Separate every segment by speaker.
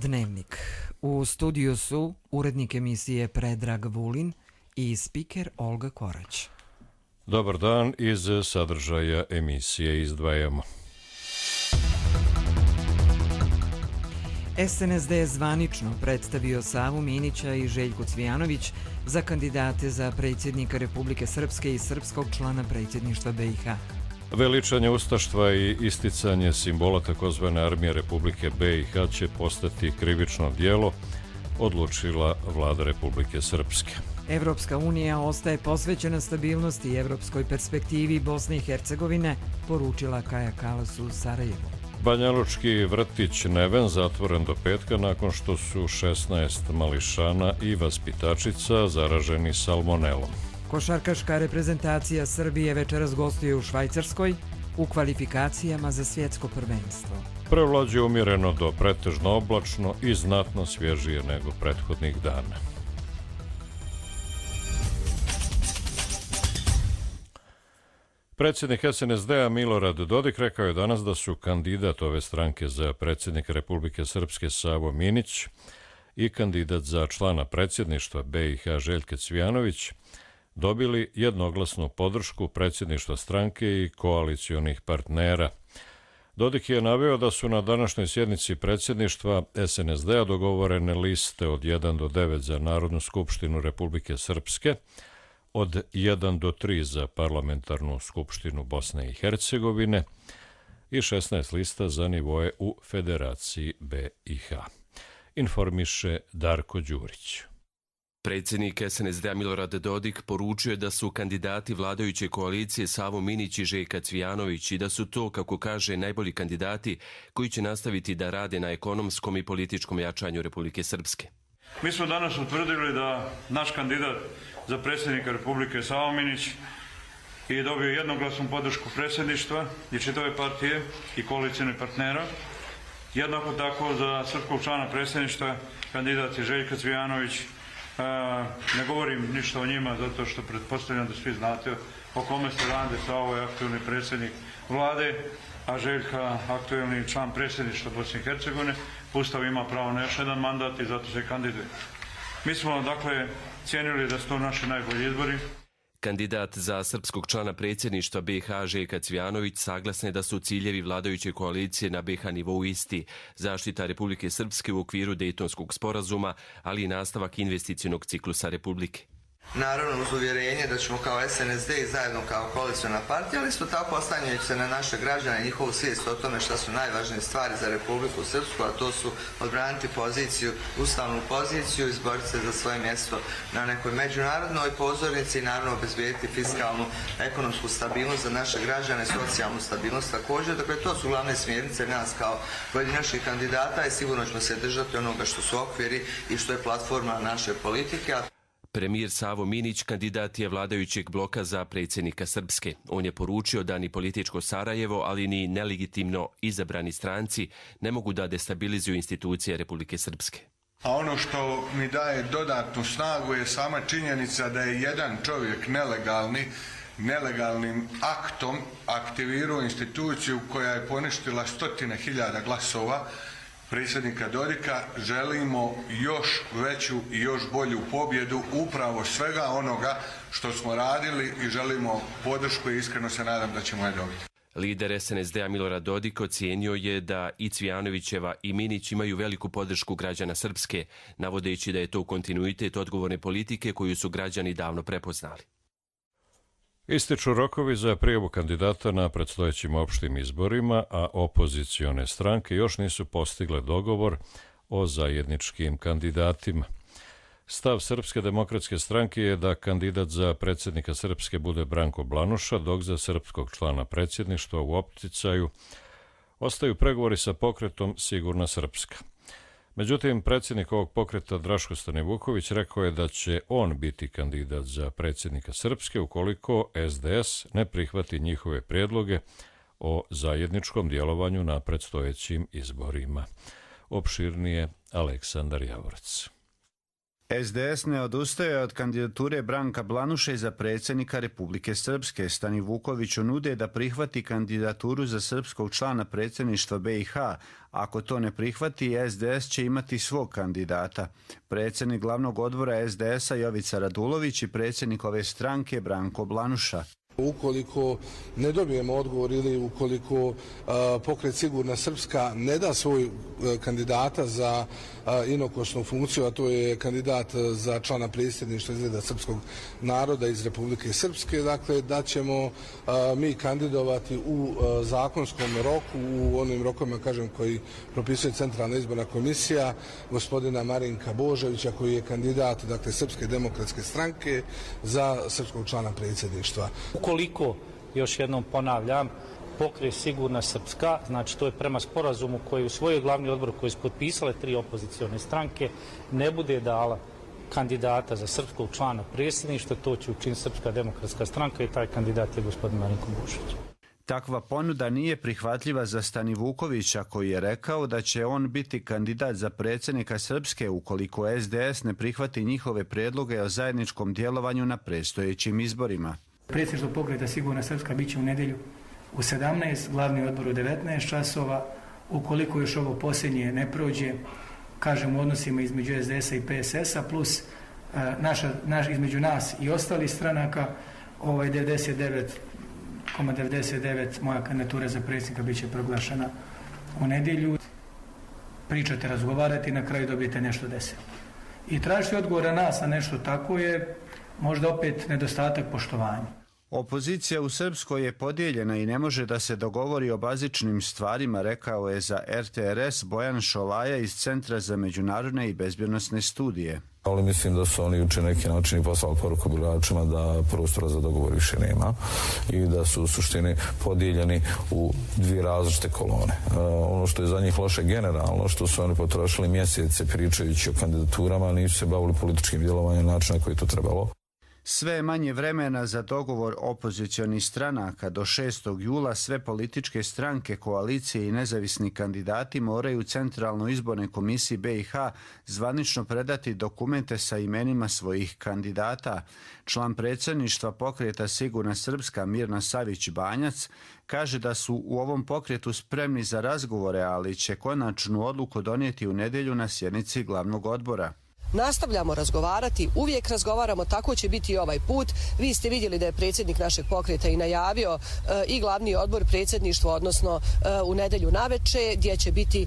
Speaker 1: Dnevnik. U studiju su urednik emisije Predrag Vulin i spiker Olga Korać.
Speaker 2: Dobar dan, iz sadržaja emisije izdvajamo.
Speaker 1: SNSD je zvanično predstavio Savu Minića i Željku Cvijanović za kandidate za predsjednika Republike Srpske i srpskog člana predsjedništva BiH.
Speaker 2: Veličanje ustaštva i isticanje simbola takozvane armije Republike BiH će postati krivično djelo, odlučila vlada Republike Srpske.
Speaker 1: Evropska unija ostaje posvećena stabilnosti i evropskoj perspektivi Bosne i Hercegovine, poručila Kaja Kalas u Sarajevu.
Speaker 2: Banjalučki vrtić Neven zatvoren do petka nakon što su 16 mališana i vaspitačica zaraženi salmonelom.
Speaker 1: Košarkaška reprezentacija Srbije večeras gostuje u Švajcarskoj u kvalifikacijama za svjetsko prvenstvo.
Speaker 2: Prevlađe umjereno do pretežno oblačno i znatno svježije nego prethodnih dana. Predsjednik SNSD-a Milorad Dodik rekao je danas da su kandidat ove stranke za predsjednika Republike Srpske Savo Minić i kandidat za člana predsjedništva BiH Željka Cvijanović dobili jednoglasnu podršku predsjedništva stranke i koalicionih partnera. Dodik je naveo da su na današnjoj sjednici predsjedništva SNSD-a dogovorene liste od 1 do 9 za Narodnu skupštinu Republike Srpske, od 1 do 3 za Parlamentarnu skupštinu Bosne i Hercegovine i 16 lista za nivoje u Federaciji BiH. Informiše Darko Đurić.
Speaker 3: Predsjednik SNSD-a Milorad Dodik poručio je da su kandidati vladajuće koalicije Savo Minić i Željka Cvijanović i da su to, kako kaže, najbolji kandidati koji će nastaviti da rade na ekonomskom i političkom jačanju Republike Srpske.
Speaker 4: Mi smo danas utvrdili da naš kandidat za predsjednika Republike Savo Minić je dobio jednoglasnu podršku predsjedništva i čitave partije i koalicijnih partnera. Jednako tako za srpskog člana predsjedništva kandidat je Željka Cvijanović. Ne govorim ništa o njima zato što pretpostavljam da svi znate o kome se radi. Savo je aktualni predsjednik vlade, a Željka aktualni član predsjedništva Bosne i Hercegovine. Ustav ima pravo na još jedan mandat i zato se kandiduje. Mi smo dakle cijenili da su to naši najbolji izbori.
Speaker 3: Kandidat za srpskog člana predsjedništva BiH Željka Cvijanović saglasne da su ciljevi vladajuće koalicije na BiH nivou isti, zaštita Republike Srpske u okviru Dejtonskog sporazuma, ali i nastavak investicionog ciklusa Republike.
Speaker 5: Naravno uz uvjerenje da ćemo kao SNSD i zajedno kao koalicijna partija, ali isto tako oslanjajući se na naše građane i njihovu svijest o tome šta su najvažnije stvari za Republiku Srpsku, a to su odbraniti poziciju, ustavnu poziciju, izboriti se za svoje mjesto na nekoj međunarodnoj pozornici i naravno obezbijediti fiskalnu, ekonomsku stabilnost za naše građane, socijalnu stabilnost također. Dakle, to su glavne smjernice nas kao pojedinačnih kandidata i sigurno ćemo se držati onoga što su okviri i što je platforma naše politike.
Speaker 3: Premijer Savo Minić kandidat je vladajućeg bloka za predsjednika Srpske. On je poručio da ni političko Sarajevo, ali ni nelegitimno izabrani stranci ne mogu da destabilizuju institucije Republike Srpske.
Speaker 6: A ono što mi daje dodatnu snagu je sama činjenica da je jedan čovjek nelegalnim aktom aktivirao instituciju koja je poništila 100.000 glasova predsjednika Dodika. Želimo još veću i još bolju pobjedu upravo svega onoga što smo radili i želimo podršku i iskreno se nadam da ćemo je dobiti.
Speaker 3: Lider SNSD-a Milorad Dodik ocijenio je da i Cvijanovićeva i Minić imaju veliku podršku građana Srpske, navodeći da je to kontinuitet odgovorne politike koju su građani davno prepoznali.
Speaker 2: Ističu rokovi za prijavu kandidata na predstojećim opštim izborima, a opozicione stranke još nisu postigle dogovor o zajedničkim kandidatima. Stav Srpske demokratske stranke je da kandidat za predsjednika Srpske bude Branko Blanuša, dok za srpskog člana predsjedništva u opticaju ostaju pregovori sa pokretom Sigurna Srpska. Međutim, predsjednik ovog pokreta Draško Stanivuković rekao je da će on biti kandidat za predsjednika Srpske ukoliko SDS ne prihvati njihove prijedloge o zajedničkom djelovanju na predstojećim izborima. Opširnije Aleksandar Javorac.
Speaker 7: SDS ne odustaje od kandidature Branka Blanuše za predsjednika Republike Srpske. Stanivukoviću nude da prihvati kandidaturu za srpskog člana predsjedništva BiH. Ako to ne prihvati, SDS će imati svog kandidata. Predsjednik glavnog odbora SDS-a Jovica Radulović i predsjednik ove stranke Branko Blanuša.
Speaker 8: Ukoliko ne dobijemo odgovor ili ukoliko pokret Sigurna Srpska ne da svoj kandidata za inokosnu funkciju, a to je kandidat za člana predsjedništva izgleda srpskog naroda iz Republike Srpske, dakle da ćemo mi kandidovati u zakonskom roku, u onim rokovima, kažem, koji propisuje Centralna izborna komisija, gospodina Marinka Božovića, koji je kandidat, dakle, Srpske demokratske stranke za srpskog člana predsjedništva.
Speaker 9: Ukoliko, još jednom ponavljam, pokret Sigurna Srpska, znači to je prema sporazumu koji u svoj glavni odbor koji su potpisale 3 opozicione stranke, ne bude dala kandidata za srpskog člana predsjedništva, to će učiniti Srpska demokratska stranka i taj kandidat je gospodin Marinko Božović.
Speaker 7: Takva ponuda nije prihvatljiva za Stanivukovića, koji je rekao da će on biti kandidat za predsjednika Srpske ukoliko SDS ne prihvati njihove predloge o zajedničkom djelovanju na predstojećim izborima.
Speaker 10: Predsjedništvo pokreta Sigurna Srpska bit će u nedjelju u 17, glavni odbor u 19 časova. Ukoliko još ovo posljednje ne prođe, kažem u odnosima između SDS-a i PSS-a plus između nas i ostalih stranaka, 99,99 moja kandidatura za predsjednika bit će proglašena u nedjelju. Pričate, razgovarate i na kraju dobijete nešto desilo. I tražiti odgovor na nas na nešto tako je možda opet nedostatak poštovanja.
Speaker 7: Opozicija u Srpskoj je podijeljena i ne može da se dogovori o bazičnim stvarima, rekao je za RTRS Bojan Šolaja iz Centra za međunarodne i bezbjednosne studije.
Speaker 11: Ali mislim da su oni juče neki način poslali poruku biračima da prostora za dogovor više nema i da su u suštini podijeljeni u 2 različite kolone. Ono što je za njih loše generalno, što su oni potrošili mjesece pričajući o kandidaturama, nisu se bavili političkim djelovanjem načina koji je to trebalo.
Speaker 7: Sve je manje vremena za dogovor opozicionih stranaka. Do 6. jula sve političke stranke, koalicije i nezavisni kandidati moraju Centralnoj izbornoj komisiji BiH zvanično predati dokumente sa imenima svojih kandidata. Član predsjedništva pokreta Sigurna Srpska Mirna Savić-Banjac kaže da su u ovom pokretu spremni za razgovore, ali će konačnu odluku donijeti u nedjelju na sjednici glavnog odbora.
Speaker 12: Nastavljamo razgovarati, uvijek razgovaramo, tako će biti i ovaj put. Vi ste vidjeli da je predsjednik našeg pokreta i najavio i glavni odbor predsjedništva, odnosno u nedjelju naveče, gdje će biti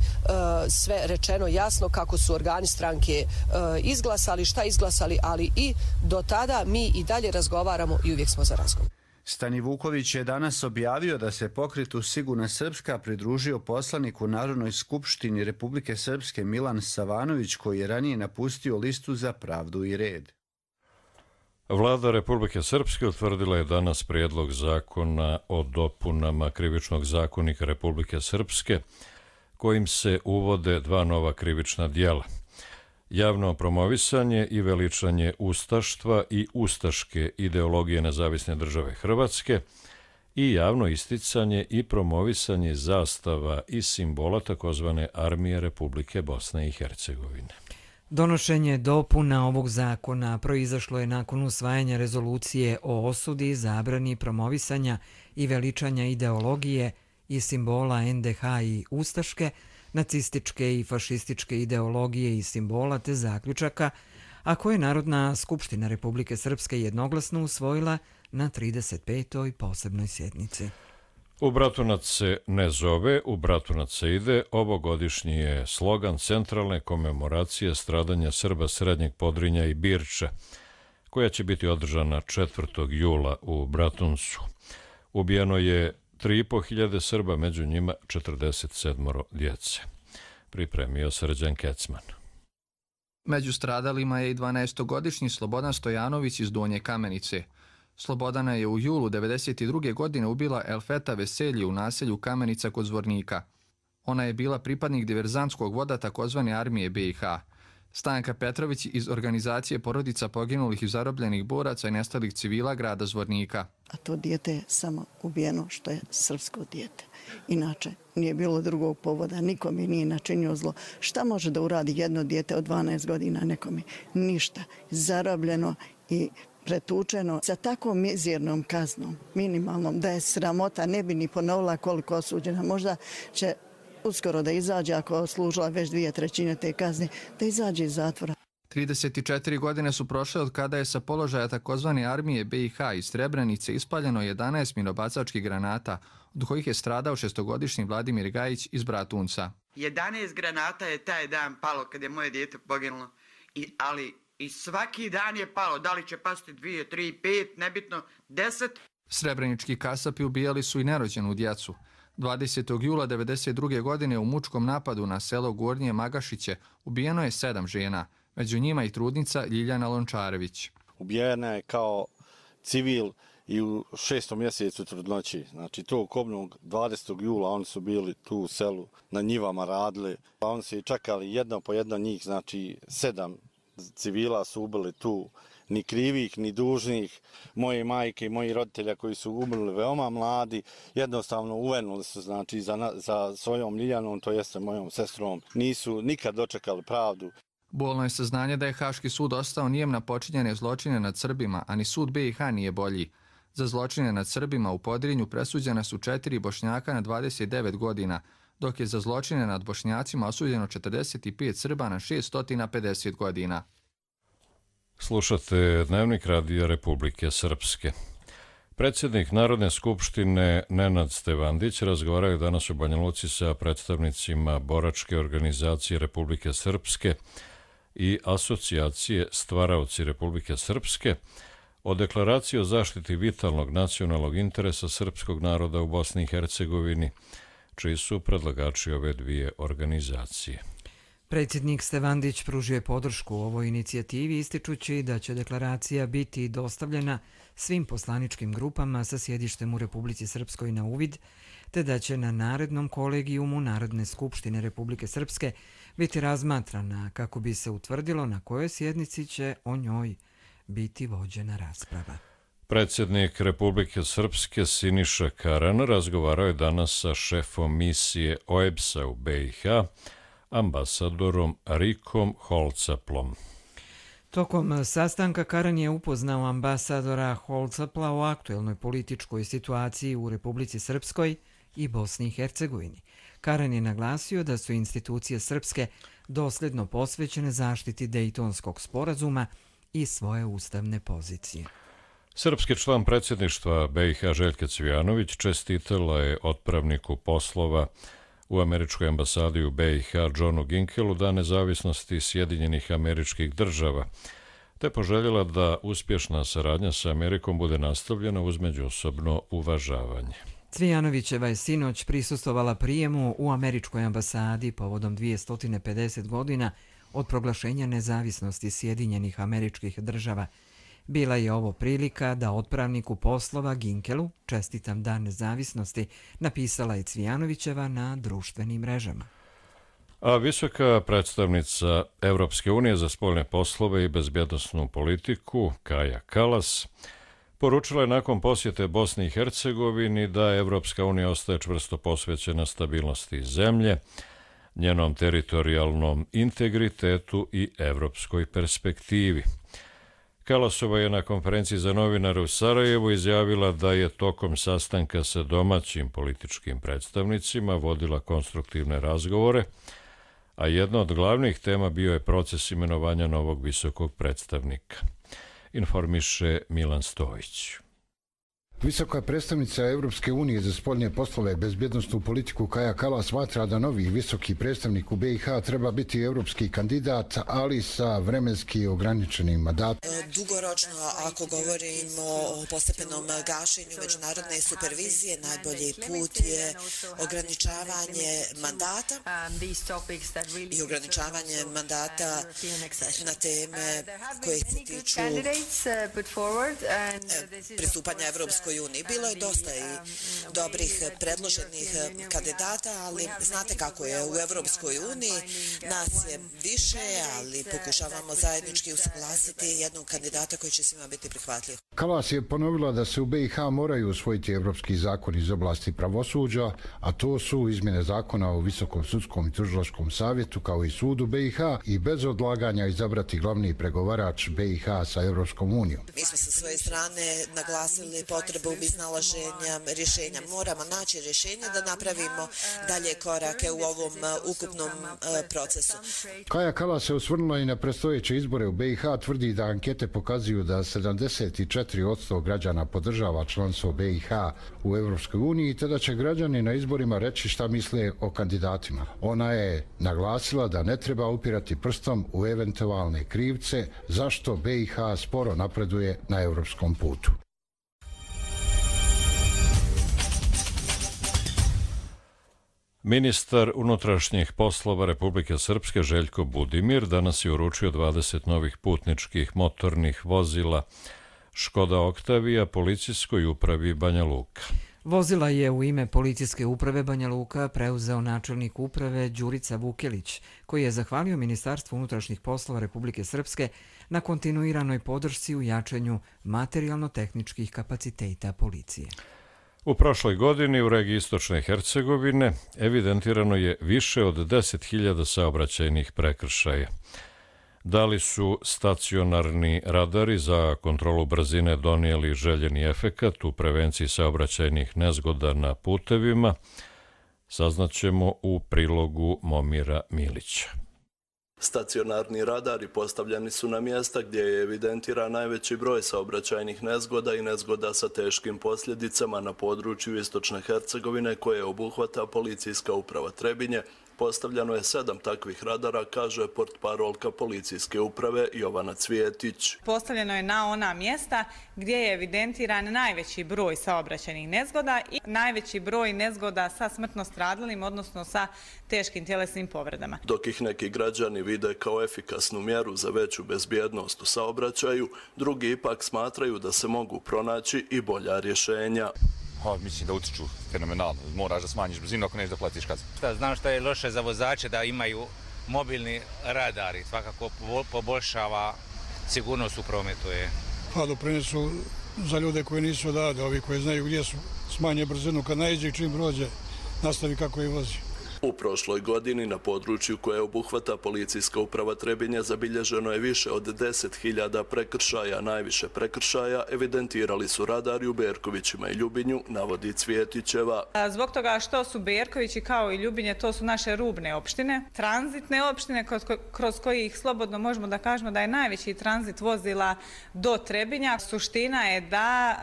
Speaker 12: sve rečeno jasno kako su organi stranke izglasali, šta izglasali, ali i do tada mi i dalje razgovaramo i uvijek smo za razgovor.
Speaker 7: Stanivuković je danas objavio da se pokretu Sigurna Srpska pridružio poslanik u Narodnoj skupštini Republike Srpske Milan Savanović, koji je ranije napustio listu za pravdu i red.
Speaker 2: Vlada Republike Srpske utvrdila je danas prijedlog zakona o dopunama Krivičnog zakonika Republike Srpske, kojim se uvode 2 nova krivična djela. Javno promovisanje i veličanje ustaštva i ustaške ideologije Nezavisne države Hrvatske i javno isticanje i promovisanje zastava i simbola takozvane Armije Republike Bosne i Hercegovine.
Speaker 1: Donošenje dopuna ovog zakona proizašlo je nakon usvajanja rezolucije o osudi, zabrani promovisanja i veličanja ideologije i simbola NDH i ustaške, nacističke i fašističke ideologije i simbola te zaključaka, a koje je Narodna skupština Republike Srpske jednoglasno usvojila na 35. posebnoj sjednici.
Speaker 2: U Bratunac se ne zove, u Bratunac se ide. Ovogodišnji je slogan centralne komemoracije stradanja Srba Srednjeg Podrinja i Birča, koja će biti održana 4. jula u Bratuncu. Ubijeno je 3.500 Srba, među njima 47 djece. Pripremio Srđan Kecman.
Speaker 13: Među stradalima je i 12-godišnji Slobodan Stojanović iz Donje Kamenice. Slobodana je u julu 1992. godine ubila Elfeta Veselji u naselju Kamenica kod Zvornika. Ona je bila pripadnik diverzantskog voda takozvane Armije BiH. Stanka Petrović iz organizacije porodica poginulih i zarobljenih boraca i nestalih civila grada Zvornika.
Speaker 14: A to dijete je samo ubijeno što je srpsko dijete. Inače, nije bilo drugog povoda, nikome nije načinio zlo. Šta može da uradi jedno dijete od 12 godina nekome? Ništa. Zarobljeno i pretučeno sa tako mizernom kaznom, minimalnom, da je sramota, ne bi ni ponovila koliko osuđena. Možda će uskoro da izađe, ako služila već 2/3 te kazne, da izađe iz zatvora.
Speaker 13: 34 godine su prošle od kada je sa položaja takozvane armije BiH iz Srebrenice ispaljeno 11 minobacačkih granata, od kojih je stradao 6-godišnji Vladimir Gajić iz Bratunca.
Speaker 15: 11 granata je taj dan palo kad je moje dijete poginulo, ali i svaki dan je palo, da li će pasti 2, 3, 5, nebitno, 10.
Speaker 13: Srebrenički kasapi ubijali su i nerođenu djecu. 20. jula 1992. godine u mučkom napadu na selo Gornje Magašiće ubijeno je 7 žena, među njima i trudnica Ljiljana Lončarević.
Speaker 16: Ubijena je kao civil i u 6. mjesecu trudnoći. Znači tog kobnog 20. jula oni su bili tu u selu, na njivama radili. Oni su čekali jedno po jedno njih, znači 7 civila su ubili tu, ni krivih, ni dužnih. Moje majke i moji roditelja koji su umrli veoma mladi, jednostavno uvenuli su, znači, za svojom Ljiljanom, to jeste mojom sestrom. Nisu nikad dočekali pravdu.
Speaker 13: Bolno je saznanje da je Haški sud ostao nijem na počinjene zločine nad Srbima, a ni sud BiH nije bolji. Za zločine nad Srbima u Podrinju presuđena su 4 Bošnjaka na 29 godina, dok je za zločine nad Bošnjacima osuđeno 45 Srba na 650 godina.
Speaker 2: Slušate Dnevnik Radija Republike Srpske. Predsjednik Narodne skupštine Nenad Stevandić razgovarao je danas u Banja Luci sa predstavnicima boračke organizacije Republike Srpske i asocijacije Stvaraoci Republike Srpske o deklaraciji o zaštiti vitalnog nacionalnog interesa srpskog naroda u Bosni i Hercegovini, čiji su predlagači ove dvije organizacije.
Speaker 1: Predsjednik Stevandić pružio je podršku ovoj inicijativi ističući da će deklaracija biti dostavljena svim poslaničkim grupama sa sjedištem u Republici Srpskoj na uvid, te da će na narednom kolegijumu Narodne skupštine Republike Srpske biti razmatrana kako bi se utvrdilo na kojoj sjednici će o njoj biti vođena rasprava.
Speaker 2: Predsjednik Republike Srpske Siniša Karan razgovarao je danas sa šefom misije OEBS-a u BiH, ambasadorom Rikom Holcaplom.
Speaker 1: Tokom sastanka Karan je upoznao ambasadora Holcapla o aktuelnoj političkoj situaciji u Republici Srpskoj i Bosni i Hercegovini. Karan je naglasio da su institucije Srpske dosljedno posvećene zaštiti Dejtonskog sporazuma i svoje ustavne pozicije.
Speaker 2: Srpski član predsjedništva BiH Željka Cvijanović čestitala je otpravniku poslova u američkoj ambasadi u BiH Johnu Ginkelu Dan nezavisnosti Sjedinjenih Američkih Država, te poželjela da uspješna saradnja sa Amerikom bude nastavljena uz međusobno uvažavanje.
Speaker 1: Cvijanovićeva je sinoć prisustvovala prijemu u američkoj ambasadi povodom 250 godina od proglašenja nezavisnosti Sjedinjenih Američkih Država. Bila je ovo prilika da otpravniku poslova Ginkelu čestitam Dan nezavisnosti, napisala je Cvijanovićeva na društvenim mrežama.
Speaker 2: A visoka predstavnica Evropske unije za spoljne poslove i bezbjednosnu politiku Kaja Kallas poručila je nakon posjete Bosni i Hercegovini da Evropska unija ostaje čvrsto posvećena stabilnosti zemlje, njenom teritorijalnom integritetu i evropskoj perspektivi. Kalasova je na konferenciji za novinare u Sarajevu izjavila da je tokom sastanka sa domaćim političkim predstavnicima vodila konstruktivne razgovore, a jedna od glavnih tema bio je proces imenovanja novog visokog predstavnika. Informiše Milan Stojić.
Speaker 17: Visoka predstavnica Evropske unije za spoljne poslove i bezbjednosnu politiku Kaja Kallas smatra da novi visoki predstavnik u BiH treba biti evropski kandidat, ali sa vremenski ograničenim mandatom.
Speaker 18: Dugoročno, ako govorimo o postepenom gašenju međunarodne supervizije, najbolji put je ograničavanje mandata i ograničavanje mandata na teme koje se tiču pristupanja Evropskoj Evropskoj uniji. Bilo je dosta i dobrih predloženih kandidata, ali znate kako je u Evropskoj uniji, nas je više, ali pokušavamo zajednički usaglasiti jednog kandidata koji će svima biti prihvatljiv.
Speaker 17: Kallas je ponovila da se u BiH moraju usvojiti evropski zakoni iz oblasti pravosuđa, a to su izmjene zakona o Visokom sudskom i tužilačkom savjetu kao i sudu BiH i bez odlaganja izabrati glavni pregovarač BiH sa Evropskom unijom.
Speaker 18: Mi smo sa svoje strane naglasili potrebu iznalaženja rješenja. Moramo naći rješenje da napravimo dalje korake u ovom ukupnom procesu.
Speaker 17: Kaja Kallas se osvrnula i na predstojeće izbore u BiH, tvrdi da ankete pokazuju da 74% građana podržava članstvo BiH u Evropskoj uniji, te da će građani na izborima reći šta misle o kandidatima. Ona je naglasila da ne treba upirati prstom u eventualne krivce zašto BiH sporo napreduje na evropskom putu.
Speaker 2: Ministar unutrašnjih poslova Republike Srpske Željko Budimir danas je uručio 20 novih putničkih motornih vozila Škoda Oktavija policijskoj upravi Banja Luka.
Speaker 1: Vozila je u ime policijske uprave Banja Luka preuzeo načelnik uprave Đurica Vukelić, koji je zahvalio Ministarstvu unutrašnjih poslova Republike Srpske na kontinuiranoj podršci u jačanju materijalno-tehničkih kapaciteta policije.
Speaker 2: U prošloj godini u regiji Istočne Hercegovine evidentirano je više od 10.000 saobraćajnih prekršaja. Da li su stacionarni radari za kontrolu brzine donijeli željeni efekat u prevenciji saobraćajnih nezgoda na putevima, saznaćemo u prilogu Momira Milića.
Speaker 19: Stacionarni radari postavljeni su na mjesta gdje je evidentiran najveći broj saobraćajnih nezgoda i nezgoda sa teškim posljedicama na području Istočne Hercegovine koje obuhvata policijska uprava Trebinje. Postavljeno je 7 takvih radara, kaže portparolka policijske uprave Jovana Cvijetić.
Speaker 20: Postavljeno je na ona mjesta gdje je evidentiran najveći broj saobraćajnih nezgoda i najveći broj nezgoda sa smrtno stradalim, odnosno sa teškim tjelesnim povredama.
Speaker 19: Dok ih neki građani vide kao efikasnu mjeru za veću bezbjednost u saobraćaju, drugi ipak smatraju da se mogu pronaći i bolja rješenja.
Speaker 21: Mislim da utiču fenomenalno. Moraš da smanjiš brzinu ako nećeš da platiš kaznu.
Speaker 22: Znam što je loše za vozače da imaju mobilni radari. Svakako poboljšava sigurnost u prometu.
Speaker 23: Pa doprinesu za ljude koji nisu odavde, ovi koji znaju gdje su, smanje brzinu kad naiđe i čim prođe nastavi kako je vozi.
Speaker 19: U prošloj godini na području koje obuhvata policijska uprava Trebinje zabilježeno je više od 10.000 prekršaja. Najviše prekršaja evidentirali su radari u Berkovićima i Ljubinju, navodi Cvijetićeva.
Speaker 20: Zbog toga što su Berkovići kao i Ljubinje, to su naše rubne opštine, tranzitne opštine kroz kojih slobodno možemo da kažemo da je najveći tranzit vozila do Trebinja. Suština je da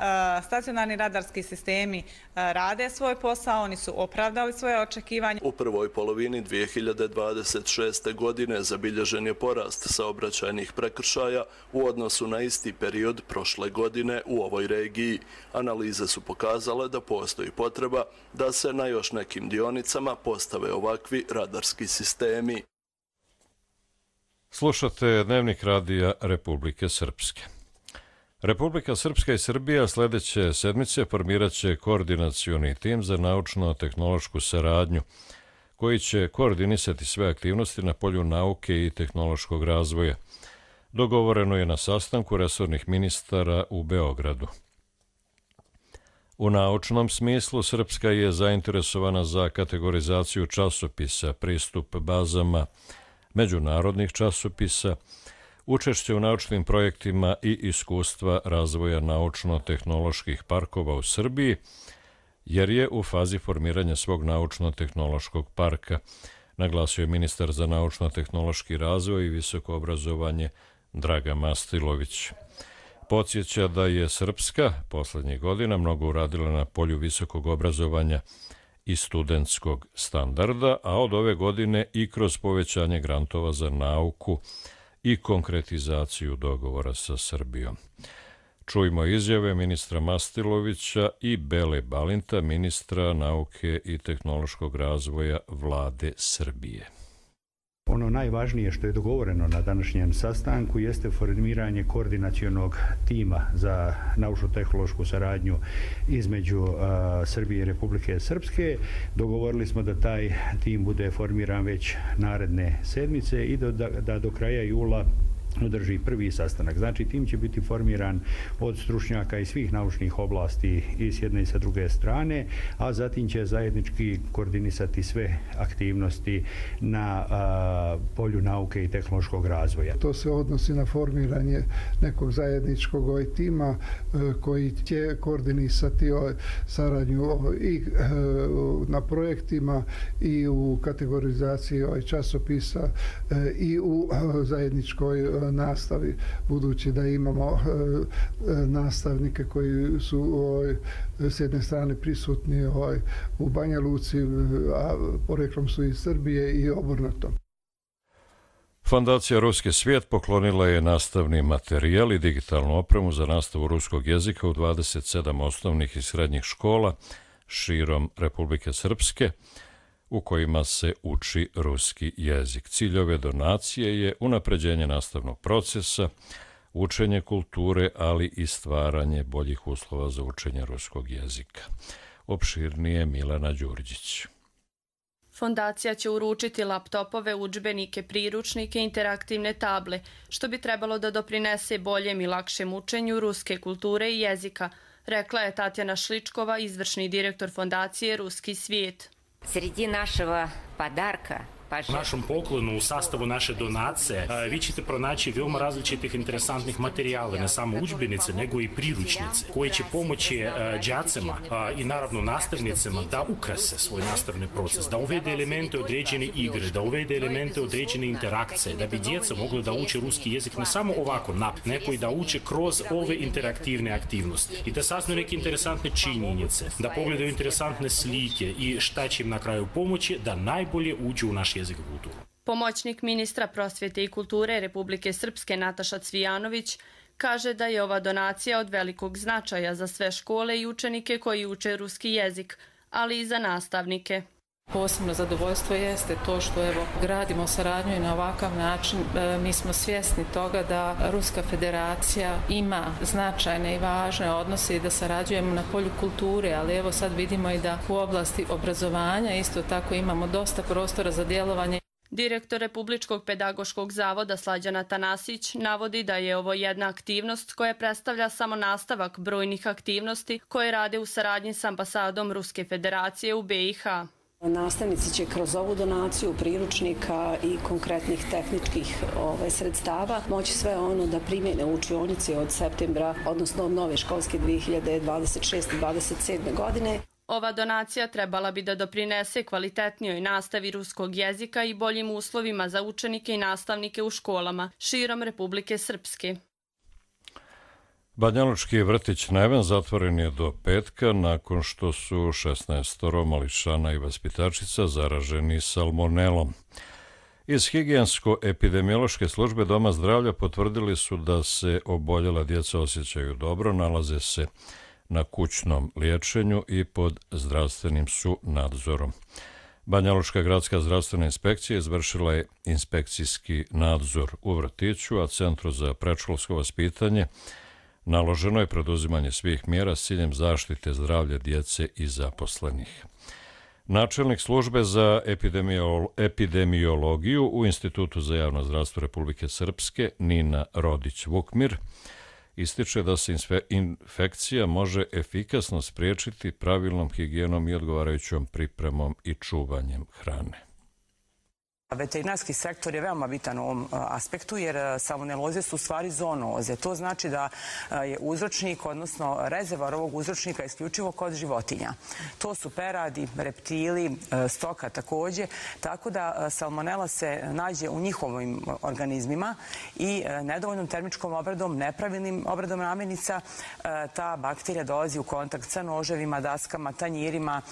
Speaker 20: stacionarni radarski sistemi rade svoj posao, oni su opravdali svoje očekivanje.
Speaker 19: U prvoj polovini 2026. godine zabilježen je porast saobraćajnih prekršaja u odnosu na isti period prošle godine u ovoj regiji. Analize su pokazale da postoji potreba da se na još nekim dionicama postave ovakvi radarski sistemi.
Speaker 2: Slušate Dnevnik radija Republike Srpske. Republika Srpska i Srbija sljedeće sedmice formirat će koordinacioni tim za naučno-tehnološku saradnju, koji će koordinisati sve aktivnosti na polju nauke i tehnološkog razvoja. Dogovoreno je na sastanku resornih ministara u Beogradu. U naučnom smislu Srpska je zainteresovana za kategorizaciju časopisa, pristup bazama međunarodnih časopisa, učešće u naučnim projektima i iskustva razvoja naučno-tehnoloških parkova u Srbiji, jer je u fazi formiranja svog naučno-tehnološkog parka, naglasio je ministar za naučno-tehnološki razvoj i visoko obrazovanje Dragan Mastilović. Podsjeća da je Srpska poslednjih godina mnogo uradila na polju visokog obrazovanja i studentskog standarda, a od ove godine i kroz povećanje grantova za nauku i konkretizaciju dogovora sa Srbijom. Čujmo izjave ministra Mastilovića i Bele Balinta, ministra nauke i tehnološkog razvoja Vlade Srbije.
Speaker 4: Ono najvažnije što je dogovoreno na današnjem sastanku jeste formiranje koordinacionog tima za naučno-tehnološku saradnju između Srbije i Republike Srpske. Dogovorili smo da taj tim bude formiran već naredne sedmice i da do kraja jula održi prvi sastanak. Znači, tim će biti formiran od stručnjaka iz svih naučnih oblasti i s jedne i sa druge strane, a zatim će zajednički koordinisati sve aktivnosti na polju nauke i tehnološkog razvoja.
Speaker 5: To se odnosi na formiranje nekog zajedničkog tima koji će koordinisati saradnju i na projektima i u kategorizaciji časopisa i u zajedničkoj nastavi, budući da imamo nastavnike koji su s jedne strane prisutni u Banja Luci, a poreklom su iz Srbije i obrnuto.
Speaker 2: Fondacija Ruski svijet poklonila je nastavni materijal i digitalnu opremu za nastavu ruskog jezika u 27 osnovnih i srednjih škola širom Republike Srpske, u kojima se uči ruski jezik. Cilj ove donacije je unapređenje nastavnog procesa, učenje kulture, ali i stvaranje boljih uslova za učenje ruskog jezika. Opširnije Milena Đurđić.
Speaker 6: Fondacija će uručiti laptopove, udžbenike, priručnike i interaktivne table, što bi trebalo da doprinese boljem i lakšem učenju ruske kulture i jezika, rekla je Tatjana Šličkova, izvršni direktor Fondacije Ruski svijet.
Speaker 24: Sredi našega podarka
Speaker 25: U našem poklonu u sastavu naše donacije vi ćete pronaći veoma različitih interesantnih materijala, ne samo udžbenice, nego i priručnice, koji će pomoći đacima i naravno nastavnicima da ukrase svoj nastavni proces, da uvede elemente određene igre, da uvede elemente određene interakcije, da bi djeca mogla da uče ruski jezik ne samo ovako, nego i da uče kroz ove interaktivne aktivnosti i da saznaju neke interesantne činjenice, da pogledaju interesantne slike i šta će im na kraju pomoći da najbolje uđu u naš jezik i kulturu.
Speaker 6: Pomoćnik ministra prosvjete i kulture Republike Srpske Nataša Cvijanović kaže da je ova donacija od velikog značaja za sve škole i učenike koji uče ruski jezik, ali i za nastavnike.
Speaker 26: Posebno zadovoljstvo jeste to što gradimo saradnju i na ovakav način. Mi smo svjesni toga da Ruska federacija ima značajne i važne odnose i da sarađujemo na polju kulture, ali sad vidimo i da u oblasti obrazovanja isto tako imamo dosta prostora za djelovanje.
Speaker 6: Direktor Republičkog pedagoškog zavoda Slađana Tanasić navodi da je ovo jedna aktivnost koja predstavlja samo nastavak brojnih aktivnosti koje rade u saradnji s ambasadom Ruske federacije u BiH.
Speaker 27: Nastavnici će kroz ovu donaciju priručnika i konkretnih tehničkih sredstava moći sve ono da primjene u učionici od septembra, odnosno od nove školske 2026-2027. godine.
Speaker 6: Ova donacija trebala bi da doprinese kvalitetnijoj nastavi ruskog jezika i boljim uslovima za učenike i nastavnike u školama širom Republike Srpske.
Speaker 2: Banjalučki vrtić Neven zatvoren je do petka nakon što su 16 mališana i vaspitačica zaraženi salmonelom. Iz higijensko-epidemiološke službe Doma zdravlja potvrdili su da se oboljela djeca osjećaju dobro, nalaze se na kućnom liječenju i pod zdravstvenim su nadzorom. Banjalučka gradska zdravstvena inspekcija izvršila je inspekcijski nadzor u vrtiću, a Centru za predškolsko vaspitanje naloženo je preduzimanje svih mjera s ciljem zaštite zdravlja djece i zaposlenih. Načelnik službe za epidemiologiju u Institutu za javno zdravstvo Republike Srpske Nina Rodić-Vukmir ističe da se infekcija može efikasno spriječiti pravilnom higijenom i odgovarajućom pripremom i čuvanjem hrane.
Speaker 28: Veterinarski sektor je veoma bitan u ovom aspektu jer salmoneloze su u stvari zoonoze. To znači da je uzročnik, odnosno rezervoar ovog uzročnika isključivo kod životinja. To su peradi, reptili, stoka također, tako da salmonela se nađe u njihovim organizmima i nedovoljnom termičkom obradom, nepravilnim obradom namirnica, ta bakterija dolazi u kontakt sa noževima, daskama, tanjirima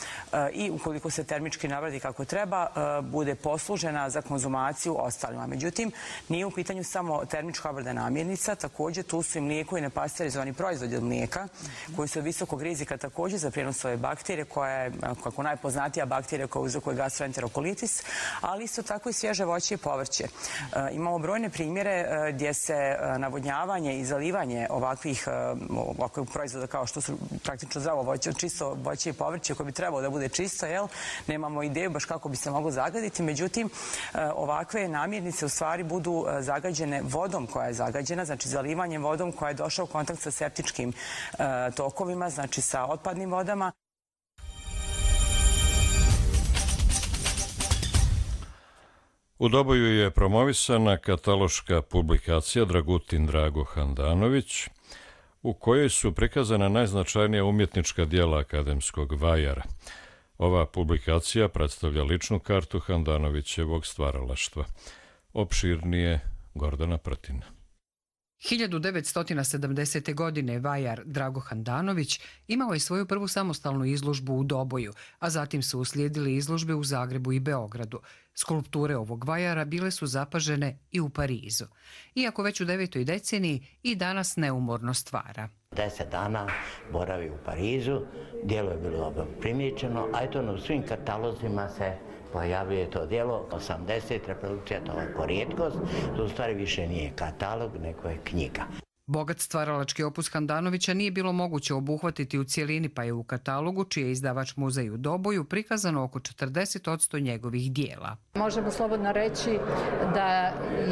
Speaker 28: i ukoliko se termički nabradi kako treba, bude poslužena za konzumaciju ostalima. Međutim, nije u pitanju samo termička obrada namirnica, također tu su i mlijeko i nepasterizovani proizvodi od mlijeka, koji su od visokog rizika također za prijenos ove bakterije, koja je kako najpoznatija bakterija koja uzrokuje gastroenterokolitis, ali isto tako i svježe voće i povrće. Imamo brojne primjere gdje se navodnjavanje i zalivanje ovakvih proizvoda kao što su praktično zdravo voće, čisto voće i povrće koje bi trebalo da bude čisto, nemamo ideju baš kako bi se moglo zagaditi, međutim ovakve namirnice u stvari budu zagađene vodom koja je zagađena, znači zalivanjem vodom koja je došla u kontakt sa septičkim tokovima, znači sa otpadnim vodama.
Speaker 2: U Doboju je promovisana kataloška publikacija Dragutin Drago Handanović, u kojoj su prikazana najznačajnija umjetnička dijela akademskog vajara. Ova publikacija predstavlja ličnu kartu Handanovićevog stvaralaštva. Opširnije Gordana Prtina.
Speaker 3: 1970. godine vajar Drago Handanović imao je svoju prvu samostalnu izložbu u Doboju, a zatim su uslijedili izložbe u Zagrebu i Beogradu. Skulpture ovog vajara bile su zapažene i u Parizu. Iako već u 9. deceniji i danas neumorno stvara.
Speaker 7: 10 dana boravi u Parizu, djelo je bilo dobro primijećeno, a eto u svim katalozima se pojavljuje to djelo, 80 reprodukcija, to je rijetkost, to u stvari više nije katalog, nego je knjiga.
Speaker 3: Bogat stvaralački opus Handanovića nije bilo moguće obuhvatiti u cijelini, pa je u katalogu, čiji je izdavač Muzej u Doboju, prikazano oko 40% njegovih dijela.
Speaker 8: Možemo slobodno reći da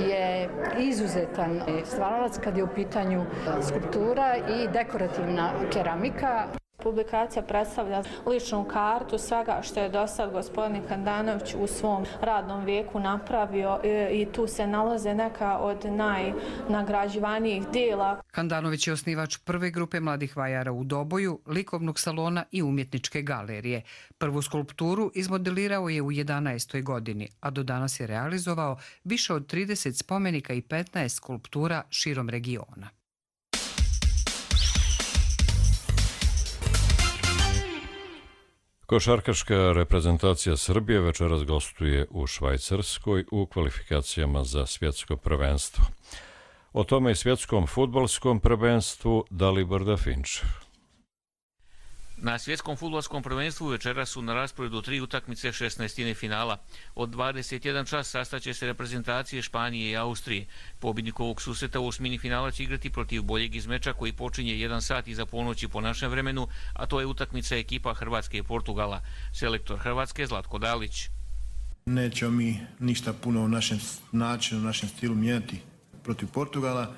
Speaker 8: je izuzetan stvaralac kad je u pitanju skulptura i dekorativna keramika.
Speaker 9: Publikacija predstavlja ličnu kartu svega što je do sad gospodin Handanović u svom radnom vijeku napravio i tu se nalaze neka od najnagrađivanijih dijela.
Speaker 3: Handanović je osnivač prve grupe mladih vajara u Doboju, likovnog salona i umjetničke galerije. Prvu skulpturu izmodelirao je u 11. godini, a do danas je realizovao više od 30 spomenika i 15 skulptura širom regiona.
Speaker 2: Košarkaška reprezentacija Srbije večeras gostuje u Švajcarskoj u kvalifikacijama za svjetsko prvenstvo. O tome i svjetskom fudbalskom prvenstvu Dalibor Dafinčev.
Speaker 10: Na svjetskom fudbalskom prvenstvu večeras su na rasporedu 3 utakmice 16. finala. Od 21 čas sastaće se reprezentacije Španije i Austrije. Pobjednik ovog susreta u osmini finala će igrati protiv boljeg izmeča koji počinje 1 sat iza ponoći po našem vremenu, a to je utakmica ekipa Hrvatske i Portugala. Selektor Hrvatske Zlatko Dalić.
Speaker 11: Nećemo mi ništa puno u našem načinu, u našem stilu mijenjati protiv Portugala.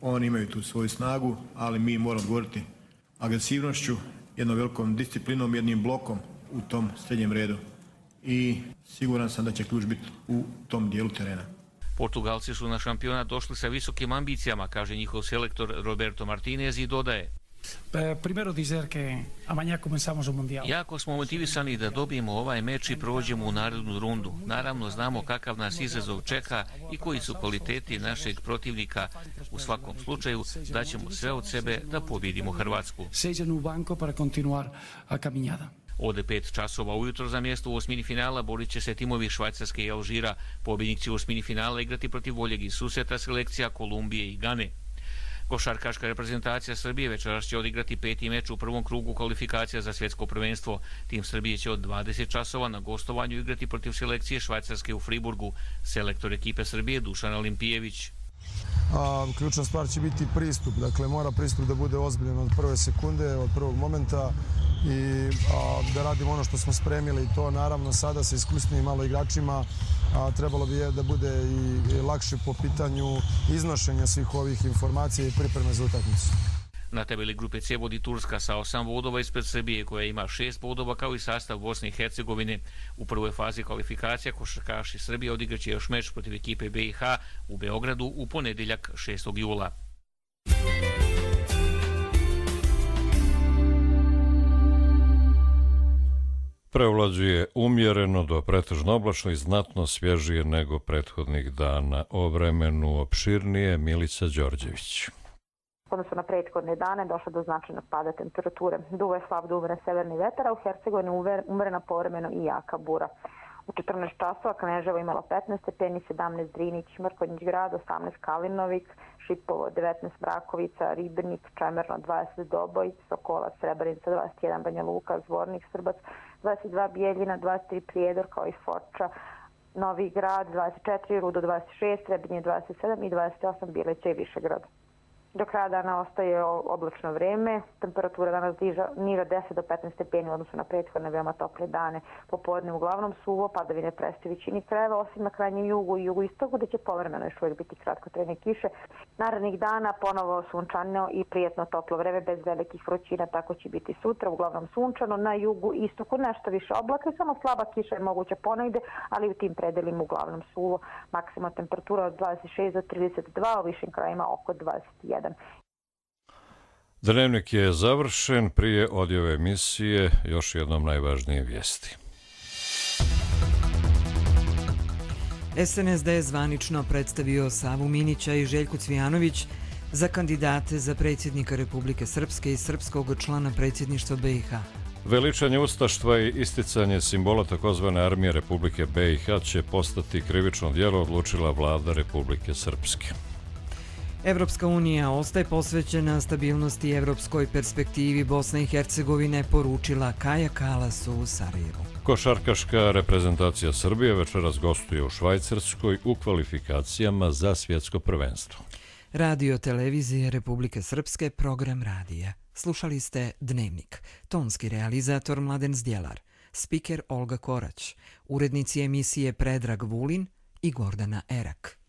Speaker 11: Oni imaju tu svoju snagu, ali mi moramo govoriti agresivnošću, jednom velikom disciplinom, jednim blokom u tom srednjem redu. I siguran sam da će ključ biti u tom dijelu terena.
Speaker 10: Portugalci su na šampionat došli sa visokim ambicijama, kaže njihov selektor Roberto Martinez i dodaje. Jako smo motivisani da dobijemo ovaj meč i prođemo u narednu rundu. Naravno, znamo kakav nas izazov čeka i koji su kvaliteti našeg protivnika. U svakom slučaju, daćemo sve od sebe da pobjedimo Hrvatsku. Od 5 časova ujutro za mjesto u osmini finala borit će se timovi Švajcarske i Alžira. Pobjednik će u osmini finala igrati protiv boljeg iz susreta selekcija Kolumbije i Gane. Košarkaška reprezentacija Srbije večeras će odigrati 5. meč u prvom krugu kvalifikacija za svjetsko prvenstvo. Tim Srbije će od 20 časova na gostovanju igrati protiv selekcije Švajcarske u Friburgu. Selektor ekipe Srbije Dušan Olimpijević.
Speaker 12: Ključna stvar će biti pristup. Dakle, mora pristup da bude ozbiljan od prve sekunde, od prvog momenta i da radimo ono što smo spremili. To naravno sada sa iskusnim malo igračima trebalo bi da bude i lakše po pitanju iznošenja svih ovih informacija i pripreme za utakmicu.
Speaker 10: Na tabeli grupe C vodi Turska sa 8 bodova ispred Srbije koja ima 6 bodova kao i sastav Bosne i Hercegovine. U prvoj fazi kvalifikacija košarkaši Srbije odigraće još meč protiv ekipe BiH u Beogradu u ponedjeljak 6. jula.
Speaker 2: Prevlađuje umjereno do pretežno oblačno i znatno svježije nego prethodnih dana. O vremenu opširnije Milica Đorđević.
Speaker 14: Odnosno na prethodne dane došlo do značajnog pada temperature. Duva je slab do umeren severni vetar, a u Hercegovini umerena povremeno i jaka bura. U 14 časova Kneževo imalo 15 stepeni, 17 Drinić, Mrkonjić grad, 18 Kalinovik, Šipovo 19 Mrakovica, Ribnik, Čemerno 20 Doboj, Sokolac, Srebrenica 21, Banja Luka, Zvornik, Srbac 22, Bijeljina 23, Prijedor kao i Foča, Novi Grad 24, Rudo 26, Trebinje 27 i 28 Bileća i Višegrad. Do kraja dana ostaje oblačno vreme, temperatura danas niža 10 do 15 stepeni u odnosu na prethodne veoma tople dane. Popodne uglavnom suvo, padavine prestaju većini krajeva, osim na krajnjem jugu i jugoistoku, gde će povremeno još uvijek biti kratkotrajne kiše. Narednih dana ponovo sunčano i prijetno toplo vreme bez velikih vrućina, tako će biti sutra, uglavnom sunčano, na jugu i istoku nešto više oblaka, samo slaba kiša je moguća ponegde, ali u tim predelima uglavnom suvo. Maksimalna temperatura od 26 do 32, u višim krajima oko 21.
Speaker 2: Dnevnik je završen. Prije odjave emisije još jednom najvažnije vijesti.
Speaker 1: SNSD je zvanično predstavio Savu Minića i Željku Cvijanović za kandidate za predsjednika Republike Srpske i srpskog člana predsjedništva BiH.
Speaker 2: Veličanje ustaštva i isticanje simbola takozvane armije Republike BiH će postati krivično djelo, odlučila vlada Republike Srpske.
Speaker 1: Evropska unija ostaje posvećena stabilnosti i evropskoj perspektivi Bosne i Hercegovine, poručila Kaja Kalas u Sarajevu.
Speaker 2: Košarkaška reprezentacija Srbije večeras gostuje u Švajcarskoj u kvalifikacijama za svjetsko prvenstvo.
Speaker 1: Radio televizije Republike Srpske, program radija. Slušali ste Dnevnik. Tonski realizator Mladen Zdjelar, spiker Olga Korać, urednici emisije Predrag Vulin i Gordana Erak.